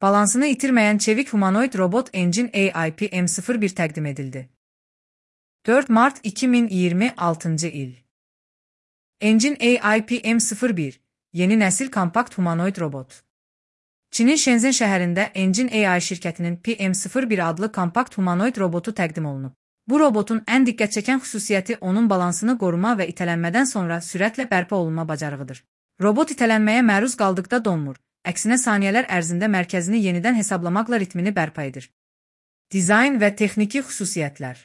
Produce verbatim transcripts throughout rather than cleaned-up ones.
Balansını itirmeyen çevik humanoid robot Engine A I P M sıfır bir təqdim edildi. dörd Mart iki min iyirmi altıncı il. Engine A I P M sıfır bir, yeni nəsil kompakt humanoid robot. Çinin Shenzhen şəhərində Engine A I şirkətinin P M sıfır bir adlı kompakt humanoid robotu təqdim olunub. Bu robotun ən diqqət çəkən xüsusiyyəti onun balansını qoruma və itələnmədən sonra sürətlə bərpa olunma bacarığıdır. Robot itələnməyə məruz qaldıqda donmur, əksinə saniyələr ərzində mərkəzini yenidən hesablamaqla ritmini bərpa edir. Dizayn və texniki xüsusiyyətlər.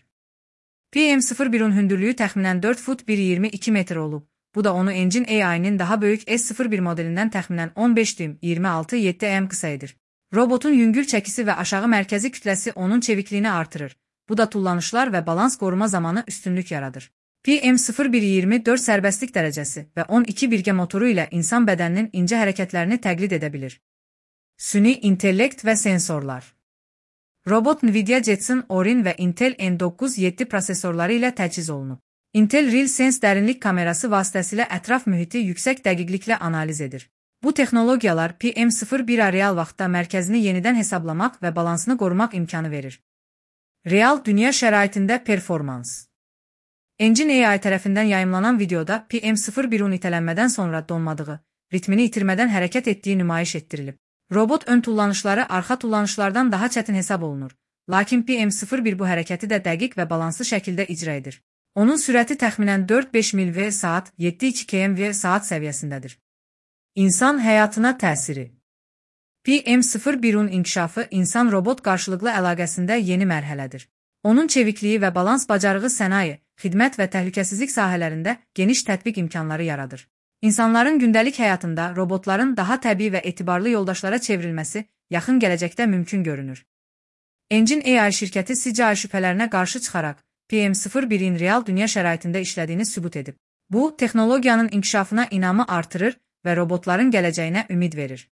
P M sıfır birin hündürlüyü təxminən dörd fut bir iyirmi iki metr olub. Bu da onu Engine A I'nin daha böyük S sıfır bir modelindən təxminən on beş düym iyirmi altı nöqtə yeddi mm qısa edir. Robotun yüngül çəkisi və aşağı mərkəzi kütləsi onun çevikliyini artırır. Bu da tullanışlar və balans qoruma zamanı üstünlük yaradır. P M sıfır bir iyirmi dörd sərbəstlik dərəcəsi və on iki birgə motoru ilə insan bədəninin incə hərəkətlərini təqlid edə bilir. Süni intellekt və sensorlar. Robot Nvidia Jetson Orin və Intel N doqquz yeddi prosesorları ilə təchiz olunub. Intel RealSense dərinlik kamerası vasitəsilə ətraf mühiti yüksək dəqiqliklə analiz edir. Bu texnologiyalar P M sıfır bira real vaxtda mərkəzini yenidən hesablamaq və balansını qorumaq imkanı verir. Real dünya şəraitində performans. Engine A I tərəfindən yayımlanan videoda P M sıfır birin itələnmədən sonra donmadığı, ritmini itirmədən hərəkət etdiyi nümayiş etdirilib. Robot ön tullanışları arxa tullanışlardan daha çətin hesab olunur, lakin P M sıfır bir bu hərəkəti də dəqiq və balanslı şəkildə icra edir. Onun sürəti təxminən dörd beş mil və saat, yeddi iki kilometr və saat səviyyəsindədir. İnsan həyatına təsiri. P M sıfır birin inkişafı insan-robot qarşılıqlı əlaqəsində yeni mərhələdir. Onun çevikliyi və balans bacarığı sənaye, xidmət və təhlükəsizlik sahələrində geniş tətbiq imkanları yaradır. İnsanların gündəlik həyatında robotların daha təbii və etibarlı yoldaşlara çevrilməsi yaxın gələcəkdə mümkün görünür. Engine A I şirkəti C G I şübhələrinə qarşı çıxaraq P M sıfır birin real dünya şəraitində işlədiyini sübut edib. Bu, texnologiyanın inkişafına inamı artırır və robotların gələcəyinə ümid verir.